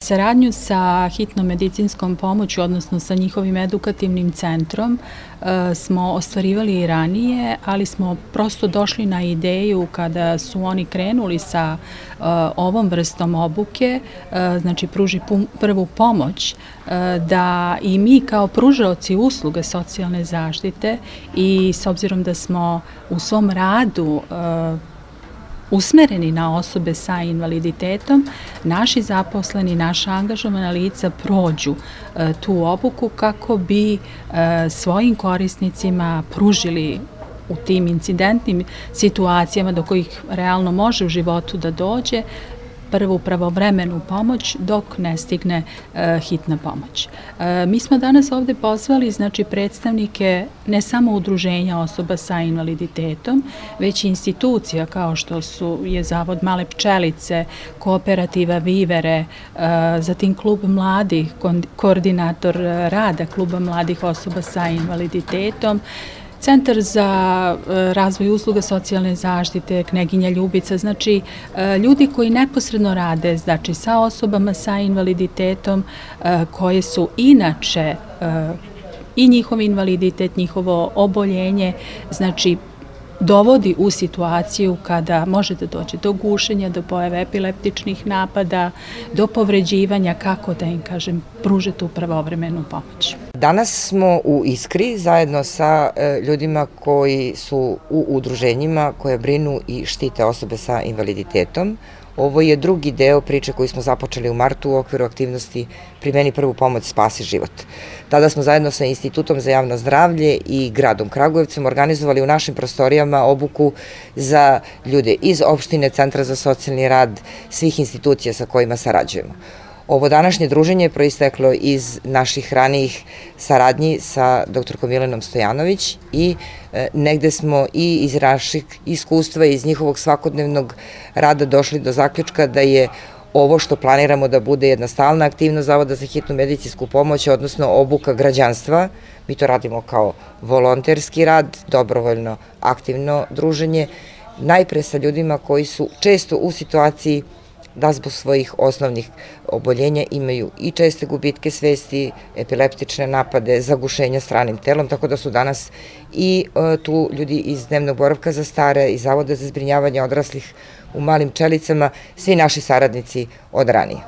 Saradnju sa hitnom medicinskom pomoću, odnosno sa njihovim edukativnim centrom, smo ostvarivali i ranije, ali smo prosto došli na ideju kada su oni krenuli sa ovom vrstom obuke, znači pruži prvu pomoć, da i mi kao pružaoci usluge socijalne zaštite i s obzirom da smo u svom radu usmereni na osobe sa invaliditetom, naši zaposleni, naša angažovana lica prođu tu obuku kako bi svojim korisnicima pružili u tim incidentnim situacijama do kojih realno može u životu da dođe prvu pravovremenu pomoć dok ne stigne hitna pomoć. Mi smo danas ovde pozvali predstavnike ne samo udruženja osoba sa invaliditetom, već i institucija kao što je Zavod Male pčelice, Kooperativa Vivere, zatim Klub mladih, koordinator rada Kluba mladih osoba sa invaliditetom, Centar za razvoj usluga socijalne zaštite, Kneginja Ljubica, znači ljudi koji neposredno rade sa osobama sa invaliditetom koje su inače i njihov invaliditet, njihovo oboljenje, znači dovodi u situaciju kada može da dođe do gušenja, do pojave epileptičnih napada, do povređivanja, kako da im kažem, pruže tu pravovremenu pomoć. Danas smo u Iskri zajedno sa ljudima koji su u udruženjima koje brinu i štite osobe sa invaliditetom. Ovo je drugi deo priče koju smo započeli u martu u okviru aktivnosti Primeni prvu pomoć, spasi život. Tada smo zajedno sa Institutom za javno zdravlje i gradom Kragujevcem organizovali u našim prostorijama obuku za ljude iz opštine, Centra za socijalni rad, svih institucija sa kojima sarađujemo. Ovo današnje druženje je proisteklo iz naših ranijih saradnji sa doktorkom Milenom Stojanović i negde smo i iz naših iskustva i iz njihovog svakodnevnog rada došli do zaključka da je ovo što planiramo da bude jedna stalna aktivnost Zavoda za hitnu medicinsku pomoć, odnosno obuka građanstva. Mi to radimo kao volonterski rad, dobrovoljno aktivno druženje, najpre sa ljudima koji su često u situaciji da zbog svojih osnovnih oboljenja imaju i česte gubitke svesti, epileptične napade, zagušenja stranim telom, tako da su danas i tu ljudi iz dnevnog boravka za stare, iz Zavoda za zbrinjavanje odraslih u Malim Pčelicama, svi naši saradnici od ranije.